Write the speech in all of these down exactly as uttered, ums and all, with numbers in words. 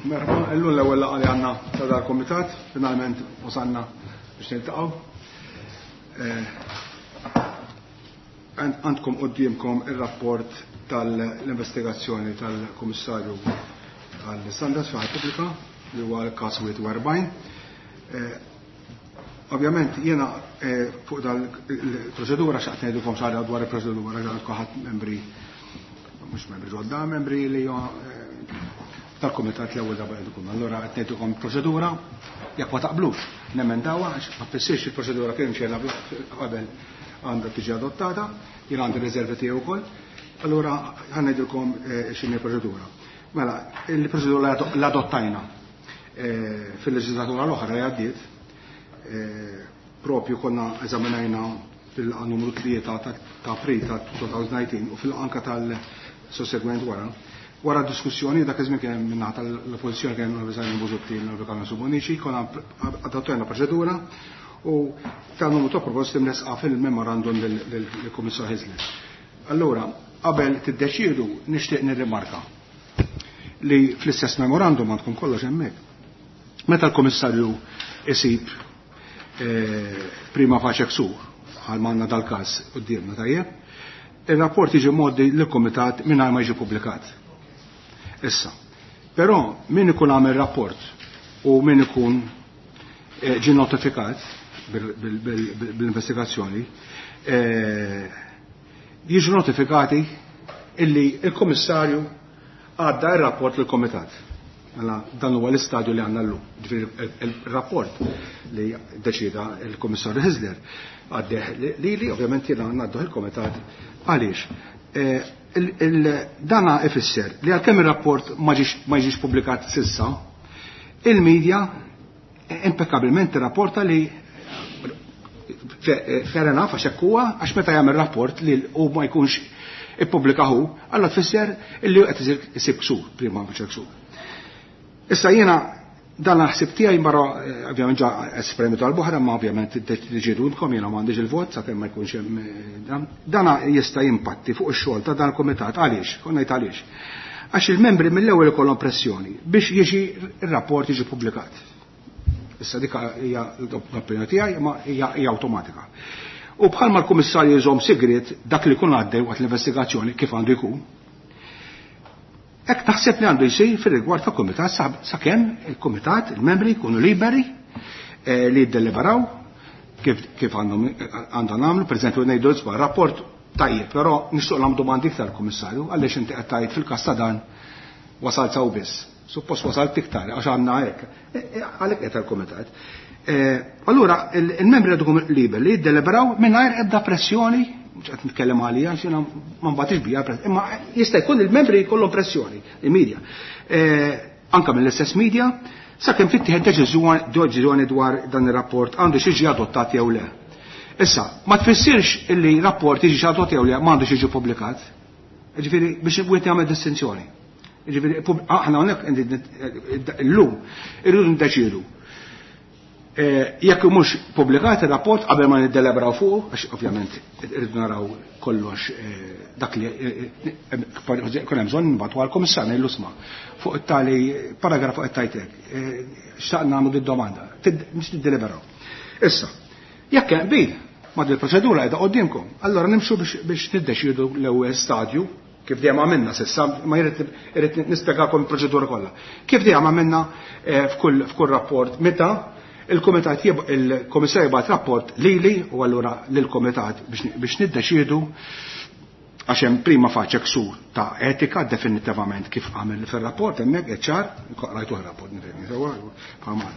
Merħba, illum l-ewwel laqgħa li għandna ta' dal-kumitat, finalment wasalna biex niltaqgħu. Għandkom quddiemkom ir-rapport tal-investigazzjoni tal-Kummissarju għall-Standards fil Pubblika li huwa l-każ wieħed u erbgħin. Ovvjament jiena fuq dal-proċedura x'qed ngħidilkom xi ħaġa dwar il-proċedura għal kulħadd membri mhux membri ġodda, membri li tal-kumitat l-ewwel darba qed ikun. Allura qed ngħidilkom proċedura jekk ma taqblux nemendawha għax ma tfissirx il-proċedura kien xejn qabel għandha tiġi adottata, jien għandi riservi tiegħi wkoll. Allura ħa ngħidilkom x'inhi l-proċedura. Mela, il-proċedura l-adottajna fil-leġislatura l-oħra li għaddiet, propju konna eżaminajna fil-laqgħa numru tlieta ta' April ta' elfejn u disa u fil-anka tal-sossegwent wara. Wara diskussjoni dak iż-żmien kien hemm min-naħa tal-oppożizzjoni kien hemm Simon Busuttil u Carmen Subonici, konna adottajna proċedura u ta' numru ta' proposti mresqa fil-memorandum lill-Kummissar Hyzler. Allura, qabel tiddeċiedu nixtieq nirrimarka li fl-istess memorandum għandkom kollox hemmhekk. Meta l-Kummissarju isib prima facie ksur bħal manna dal-każ quddiemna tajjeb, ir-rapport jiġi mgħoddi lill-Kumitat mingħajr ma jiġi pubblikat. Issa, però min ikun għamel rapport u min ikun ġie notifikat bil-investigazzjoni, jiġu notifikati illi il-Kummissarju għadda ir-rapport lill-Kumitat. Mela dan huwa l-istadju li għandna llum. Ġifieri il-rapport li deċida il-Kummissarju Hyzler għaddeh lili, ovvjament jiena ngħadduh il-Kumitat għaliex. Dana ifisser li għalkemm ir-rapport ma jiġix pubblikat s'issa, il-medja impeccabilment rapporta li fair enough għax hekk huwa, għax meta jagħmel rapport li hu ma jkunx ippubblika hu, allura tfisser illi qed isib ksur, prima facie ksur. Issa jiena dan l-ħsib tiegħi barra ovvjament ġa esprimitu għal-boħra, ma ovvjament tiddeċidulkom jiena m'għandix il-vot sakemm ma jkunx hemm dan. Dana jista' jimpatti fuq ix-xogħol ta' dan il-kumitat għaliex, konna ngħid għaliex. Għax il-membri mill-ewwel ikollhom pressjoni biex jiġi r-rapport jiġi pubblikat. Issa dik hija l-opinjoni tiegħi, ma hija awtomatika. U bħalma l-kummissarju jżomm sigriet dak li jkun għaddej waqt l-investigazzjoni kif għandu jkun, hekk taħseb li għandu jsir fir-rigward ta' kumitat sakemm il-kumitat, il-membri jkunu liberi li jiddeliberaw kif għandhom nagħmlu, pereżempju ngħidu isma' rapport tajjeb, però nixtieq nagħmlu domandi iktar kummissarju għaliex inti qed tgħid fil-każ ta' dan wasalt sew biss. Suppost wasalt iktar għax għandna hekk. Għalhekk qed il-kumitat. Allura il-membri għandhom liberi li jiddeliberaw mingħajr ebda pressjoni, mhux qed nitkellem għalija għax jiena ma nbatix bija, imma jista' jkun il-membri jkollhom pressjoni, il-media. Anka mill-istess media, sakemm tittieħed deċiżjoni dwar dan ir-rapport għandu xi jiġi adottat jew le. Issa, ma tfissirx illi rapport jiġi adottat jew le ma għandux jiġi pubblikat. Ġifieri biex wieħed jagħmel distinzjoni. Ġifieri aħna hawnhekk illum irridu niddeċiedu. Jekk mhux pubblikat ir-rapport qabel ma niddelebraw fuq, għax ovvjament irridu naraw kollox dak li kun hemm bżonn nibgħatu għall-Kummissarju ngħidlu sma' fuq it-tali paragrafu qed tgħid hekk. Xtaqna nagħmlu did-domanda, biex niddeliberaw. Issa, jekk hemm qbil ma' din il-proċedura qiegħda quddiemkom, allora nimxu biex niddeċiedu l-ewwel stadju kif dejjem għamilna s'issa, ma jrid nispjegakom il-proċedura kollha. Kif dejjem għamilna f'kull rapport meta il-kumitat il-komissarju jibgħat rapport lili u allura lill-kumitat biex niddeċiedu għax hemm prima facie ksur ta' etika definitivament kif għamel fir-rapport hemmhekk ċar, rajtu rapport nifhimni sewwa bħalma.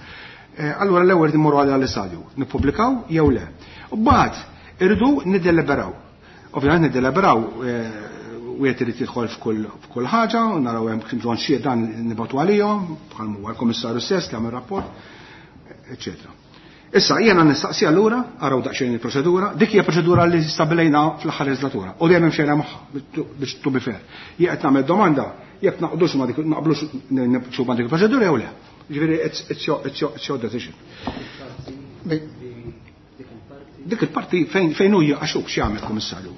Allura l-ewwel immorru għal l-istadju, nippubblikaw jew le. U mbagħad irridu niddeliberaw. Ovvjament niddeliberaw wieħed irid jidħol f'kull ħaġa u naraw hemm bżonn xi dan nibgħatu għalihom, bħal huwa l-Kummissarju stess li għamel rapport, eċċetera. Issa jiena nistaqsi allura, araw daqsxejn il-proċedura, dik hija proċedura li stabilejna fl-aħħar leġislatura u dejjem imxejna magħha biex to be fair. Jekk qed nagħmel domanda, jekk naqdux ma dik naqblux nimxu ma dik il-proċedura jew le. Ġifieri it's your it's your decision. Dik il-parti fejn fejn hu għax hu x'jagħmel kummissarju.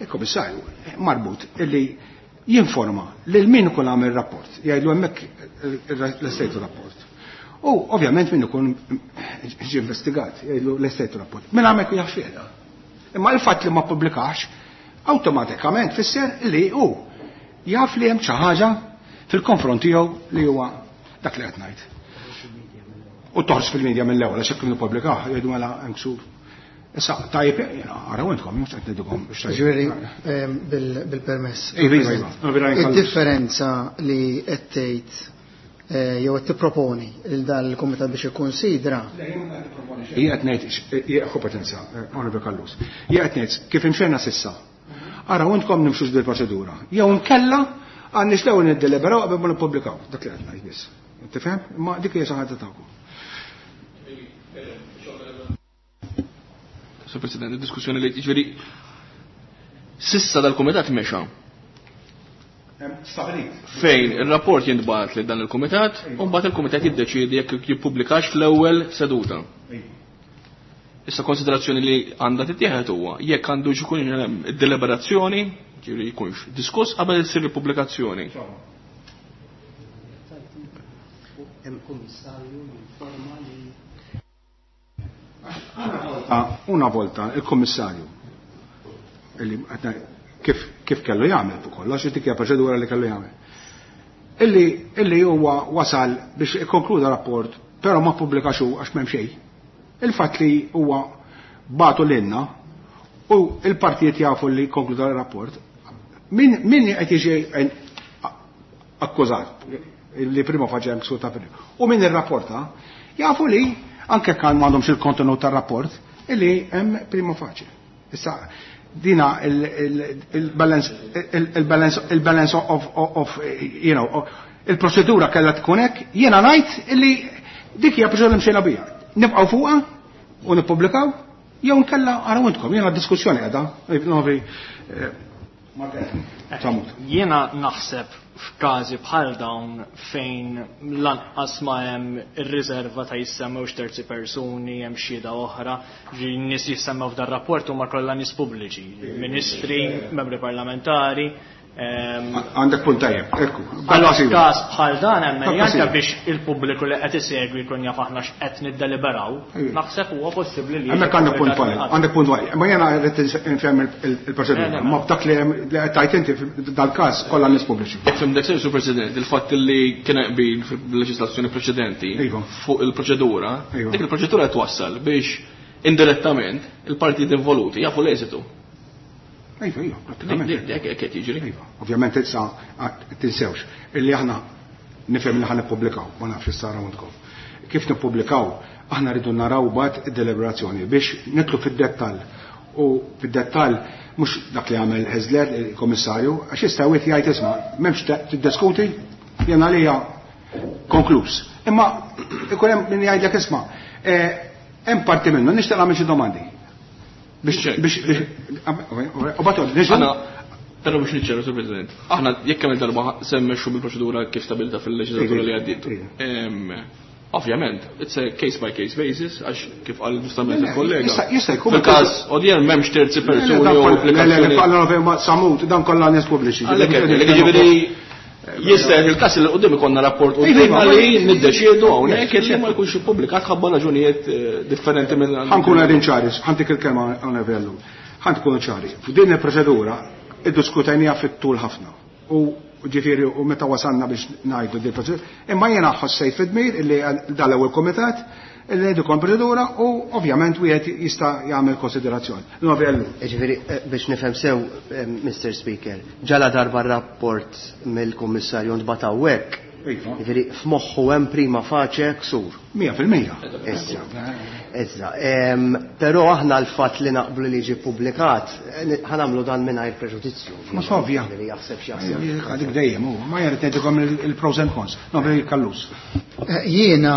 Il-kummissarju marbut illi jinforma lil min ikun għamel rapport, jgħidlu hemmhekk l-estejtu rapport. U ovvjament min ikun ġie investigat, jgħidlu l-estejtu rapport. Min hemmhekk jaf xiehda. Imma il-fatt li ma ppubblikax awtomatikament fisser li hu jaf li hemm xi ħaġa fil-konfront tiegħu li huwa dak li qed ngħid. U toħroġ fil-medja mill-ewwel għax jekk nippubblikaw jgħidu mela hemm ksur. Issa tajjeb araw intkom mhux qed ngħidilkom. Ġifieri bil-permess. Id-differenza li qed tgħid jew qed tipproponi lil dan il-kumitat biex ikkunsidra. Hija qed ngħid hija kompetenza, Onorevoli Callus. Hija qed ngħid kif imxejna sissa. Araw intkom nimxux bil-proċedura. Jew nkella għandniex l-ewwel niddeliberaw qabel ma nippubblikaw. Dak li qed ngħid biss. Tifhem? Ma dik hija xi ħaġa tagħkom. Sur President, il-diskussjoni li ġifieri sissa dal-kumitat mexa. Fejn ir-rapport jintbagħat lil dan il-kumitat u mbagħad il-kumitat jiddeċiedi jekk jippubblikax fl-ewwel seduta. Issa konsiderazzjoni li għandha tittieħed huwa jekk għandu jkun hemm id-deliberazzjoni, ġifieri jkunx diskuss qabel issir il-pubblikazzjoni. Hemm kummissarju jinforma li Una volta il-kommissarju kif, kif kellu jagħmel fuq kollox, dik hija proċedura li kellu jagħmel. Illi, illi huwa wasal biex ikkonkluda rapport, però ma ppubblikax hu għax m'hemm xejn. Il-fatt li huwa bagħtu lilna u il-partijiet jafu li konkluda rapport, min min qed jiġi akkużat li prima faċe hemm ksur ta' u min irrapporta jafu li anke kan m'għandhomx il-kontenut tar-rapport illi hemm prima faċe. Issa dina il-balance il-balance il-balance of, of you know il-proċedura kellha tkun hekk, jiena ngħid illi dik hija proċedura mxejna biha. Nibqgħu fuqha u nippubblikaw jew nkella araw intkom, jiena d-diskussjoni qiegħda. Novi Jiena naħseb f'każi bħal dawn fejn lanqas ma hemm ir-riserva ta' jissemmewx terzi persuni, hemm xhieda oħra, ġi nies jissemmew f'dan rapport huma kollha nies pubbliċi, ministri, membri parlamentari. Għandek punt tajjeb, ekku. Każ bħal dan hemm anke biex il-pubbliku li qed isegwi jkun jaf aħna x'qed niddeliberaw, naħseb huwa possibbli li. Hemmhekk għandek punt valid, għandek punt valid. Ma jiena rrid nfhem il-proċedura, ma b'dak li qed tajt inti dal-każ kollha nies pubbliċi. Fimdek sew, Sur President, il-fatt li kien qbil fil-leġislazzjoni preċedenti fuq il-proċedura, dik il-proċedura twassal biex indirettament il-partijiet involuti jafu l-eżitu. Iva, iva, pratikament. Dik qed jiġri. Iva, ovvjament issa tinsewx illi aħna nifhem li ħa nippubblikaw, ma nafx issa għandkom. Kif nippubblikaw, aħna rridu naraw bad id-deliberazzjoni biex nitlu fid-dettall. U fid-dettall mhux dak li għamel Hezler, il-Kommissarju, għax jista' wieħed jgħid isma' m'hemmx tiddiskuti, jien għalija konkluż. Imma ikun hemm min jgħidlek isma' hemm parti minnu nixtieq nagħmel xi domandi. Biex biex u bagħad niġu. Però biex niċċeru, Sur President, aħna jekk kemm darba se mmexxu bil-proċedura kif stabilita fil-leġislatura li għaddiet. Ovvjament, it's a case by case basis, għax kif qal ġustament il-kollega. Jista' jkun. Fil-każ odjern m'hemmx terzi persuni u applikazzjoni. Samut, dan kollha nies pubbliċi. Jiġifieri jista' il-każ li qudiem ikollna rapport qudiemna li niddeċiedu hawnhekk li ma jkunx ippubblikat ħabba raġunijiet differenti minn. Ħankun qegħdin ċari, ħantik il-kelma hawnhekk. Ħa tkunu ċari. F'din il-proċedura iddiskutejniha fit-tul ħafna. U ġifieri u meta wasalna biex ngħidu din il-proċedura, imma jiena ħossejt fid-dmir illi dal-ewwel kumitat illi ngħidu kon proċedura u ovvjament wieħed jista' jagħmel konsiderazzjoni. Ġifieri biex nifhem sew, Mister Speaker, ġala darba rapport mill-Kummissarju ntbagħat hawnhekk. Ġifieri f'moħħu hemm prima faċe ksur. Mija fil-mija. Issa. Issa. Però aħna l-fatt li naqblu li jiġi ppubblikat, ħanamlu dan mingħajr preġudizzju. Ma sovja. Jaħseb x'jaħseb. Għadik dejjem hu, ma jrid ngħidilkom il-pros and cons. Nobri Callus. Jiena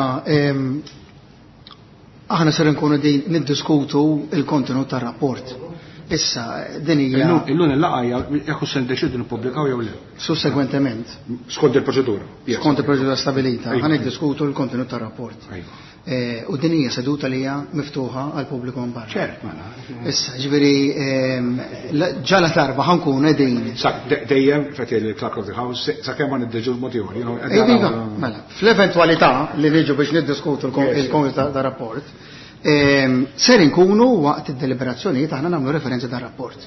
aħna ser nkunu din niddiskutu il-kontenut tar-rapport. Issa, din hija. Illum il-laqgħa hija jekk se ndeċidu nippubblikaw jew le. Sussegwentement. Skont il-proċedura. Skont il-proċedura stabilita, ħa niddiskutu l-kontenut tar-rapport. U din hija seduta li hija miftuħa għal pubbliku minn barra. Ċert, mela. Issa, ġifieri ġala darba ħa nkun qegħdin. Dejjem qed il-Clerk of the House sakemm ma niddeġu l-mod ieħor. Mela, fl-eventwalità li niġu biex niddiskutu l-kontenut tar-rapport, ser inkunu waqt id-deliberazzjonijiet aħna nagħmlu referenza dar-rapport.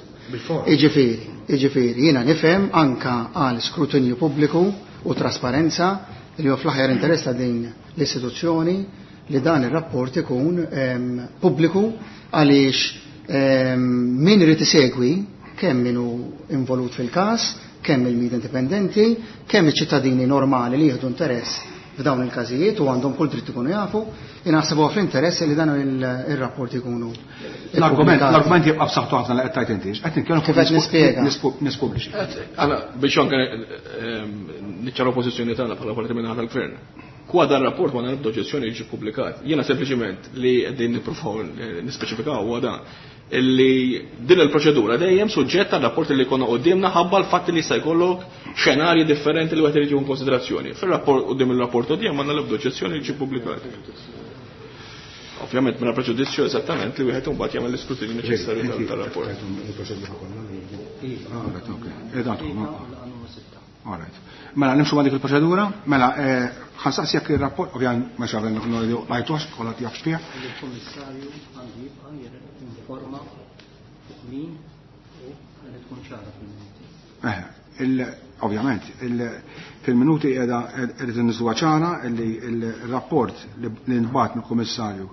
Iġifieri, iġifieri, jiena nifhem anka għal skrutinju pubbliku u trasparenza li huwa fl-aħjar interess ta' din l-istituzzjoni li dan ir-rapport ikun pubbliku għaliex min irid isegwi kemm min hu involut fil-każ, kemm il-media indipendenti, kemm iċ-ċittadini normali li jieħdu interess f'dawn il-każijiet u għandhom kull dritt ikunu jafu, inaħseb huwa fl-interess li dan ir-rapport ikunu. L-argument l-argument jibqa' b'saħħtu ħafna li qed tgħid inti. Qed nitkellmu kif qed nispjega. Nies pubbliċi. Għala biex anke niċċaraw pożizzjoni tagħna bħala parti minn tal-gvern. Kwa dan rapport ma nagħmlu oġġezzjoni jiġi ppubblikat. Jiena sempliċiment li qegħdin nippruvaw nispeċifikaw huwa dan illi din il-proċedura dejjem suġġetta għal rapport li jkollna qudiemna ħabba l-fatt li jista' jkollok xenarji differenti li wieħed irid jieħu konsiderazzjoni. Fir-rapport quddiem il-rapport quddiem għandna l-ebda oġġezzjoni li jiġi ppubblikat. Ovvjament mingħajr preġudizzju eżattament li wieħed imbagħad jagħmel l-iskrutinju neċessarju tar-rapport. Mela nimxu ma' dik il-proċedura, mela ħansaqsi jekk ir-rapport, ovvjament ma xaven lajtux, kollha jaf x'fih. Il-Kummissarju għandu jibqa' jinforma fuq min u li tkun ċara fil-minuti. Eh, ovvjament, fil-minuti qiegħda qed inniżluha ċara li l-rapport li nbagħat mill-Kummissarju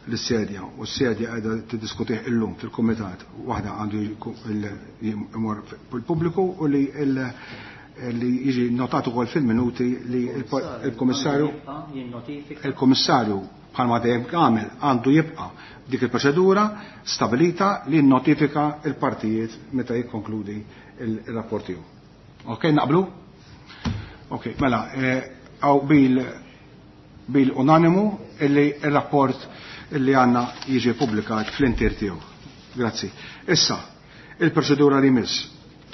l-sedja u s-sedja qiegħda tiddiskutih illum fil-kumitat, waħda għandu jmur fil-pubbliku u li li jiġi notat ukoll fil-minuti li il-Kummissarju il-Kummissarju bħalma dejjem għamel għandu jibqa' dik il-proċedura stabilita li notifika il-partijiet meta jikkonkludi il-rapport tiegħu. Ok, naqblu? Ok, mela, għaw bil bil unanimu illi il-rapport illi għanna jiġi publikat fl-intier tiegħu. Grazzi. Issa, il-proċedura li miss.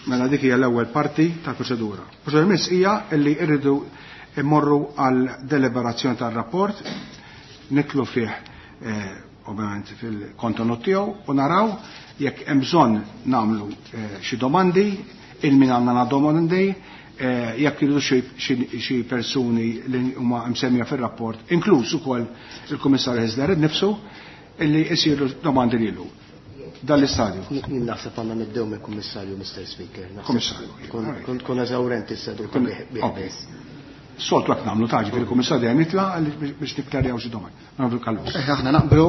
Mela dik hija l-ewwel parti tal-proċedura. Proċedura miss hija illi rridu immorru għal deliberazzjoni tar-rapport, nitlu fih eh, ovvjament fil-kontenut tiegħu u naraw jekk hemm bżonn nagħmlu eh, xi domandi, il min għandna domandi, eh, jekk iridu xi persuni li huma msemmija fir-rapport, inkluż ukoll il-Kummissarju Hyzler innifsu, illi jsiru domandi lilu. Dan l-istadju. Jien naħseb għandna nibdew mill-Kummissarju, Mister Speaker. Kummissarju. Tkun eżawrenti s-seduta bih. Soltu hekk nagħmlu taġi fil-Kummissarju dejjem jitla' biex nikklarjaw xi domandi. Nagħmlu kallus. Aħna naqblu,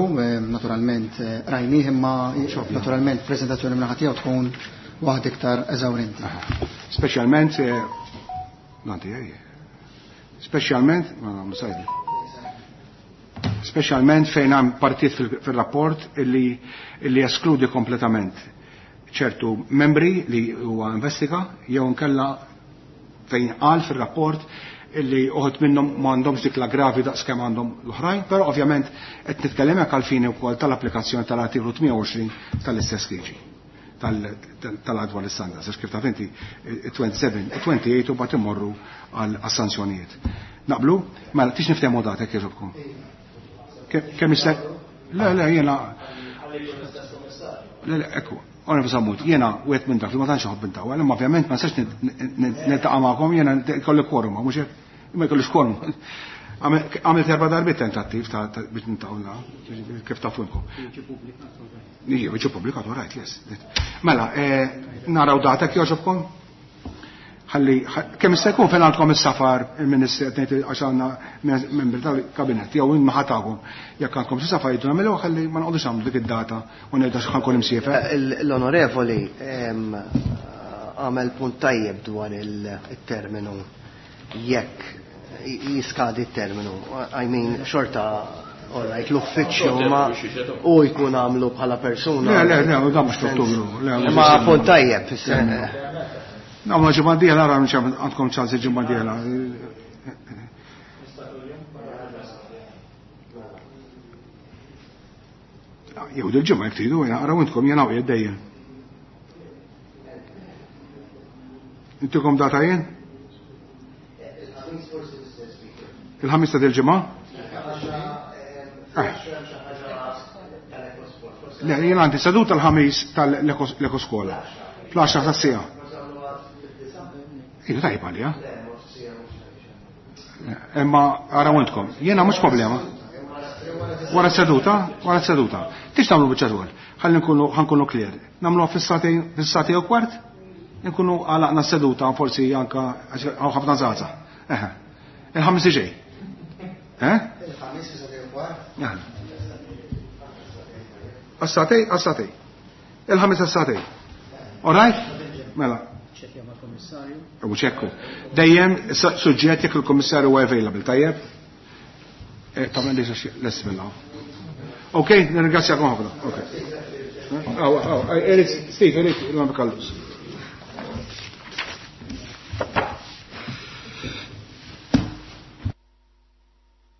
naturalment rajnih imma naturalment preżentazzjoni minn ħadd tiegħu tkun waħda iktar eżawrenti. Speċjalment nanti speċjalment ma nagħmlu sajdi. Speċjalment fejn hemm partit fil-rapport illi illi eskludi kompletament ċertu membri li huwa investiga jew nkella fejn qal fir-rapport illi uħud minnhom m'għandhomx dik la gravi daqs kemm għandhom l-oħrajn, però ovvjament qed nitkellem hekk għall-fini wkoll tal-applikazzjoni tal-artiklu tmien u għoxrin tal-istess liġi tal-adwa l-standards, għax kif taf inti twenty-seven u twenty-eight u bagħad immorru għal sanzjonijiet. Naqblu? Mela tix niftehmu datek jogħġobkom. Kemm issa? Le, le, jiena. Le, le, ekku, għona bisammut, jiena wieħed minn dak li ma tantx iħobb intawwa, imma ovvjament ma nistax niltaqa' magħkom, jiena jkolli quorum, mhux hekk? Imma jkollix quorum. Għamilt erba' darbiet tentattiv ta' biex nintaqgħu kif tafu inkom. Jiġi ppubblikat, all right, yes. Mela, naraw datek jogħġobkom? Ħalli kemm jista' jkun fejn għandkom is-safar il-Ministri qed ngħid għax għandna membri tal-kabinett jew imma ħatakom. Jekk għandkom xi safar jgħidu nagħmlu ħalli ma noqogħdux nagħmlu dik id-data u ngħidu għax ħankun imsiefer. L-Onorevoli għamel punt tajjeb dwar il-terminu jekk jiskadi t-terminu. I mean, xorta all right, l-uffiċċju ma u jkun għamlu bħala persuna. Le, le, le, dan mhux f'Ottubru. Ma punt tajjeb. No, ma ġimgħa dieħla ara għandkom ċans il-ġimgħa dieħla. Jew dil-ġimgħa jekk tridu, araw intkom jien hawn qiegħed dejjem. Intikom data jien? Il-ħamis ta' dil-ġimgħa? Le, jien għandi seduta l-ħamis tal-ekoskola. Fl-għaxra ta' sija. Iva tajba għalija. Imma araw intkom, jiena mhux problema. Wara seduta, wara seduta. Tix tagħmlu biċċa xogħol. Ħalli nkunu ħankunu clear. Nagħmluha fis-sagħtejn fis-sagħtej u kwart, nkunu għalaqna seduta forsi anka hawn ħafna żgħażagħ. Eħe. Il-ħamis ġej. Eh? Il-ħamis fis-sagħtej u kwart? Għas-sagħtej, għas-sagħtej. Il-ħamis għas-sagħtej. All right? Mela. Ċekkja mal-Kummissarju. U ċekku. Dejjem suġġett jekk il-Kummissarju huwa available, tajjeb? Tagħmel li lest minna. Ok, nirringrazzjakom ħafna. Ok. Aw, aw, Steve, Erik, il-Kallus.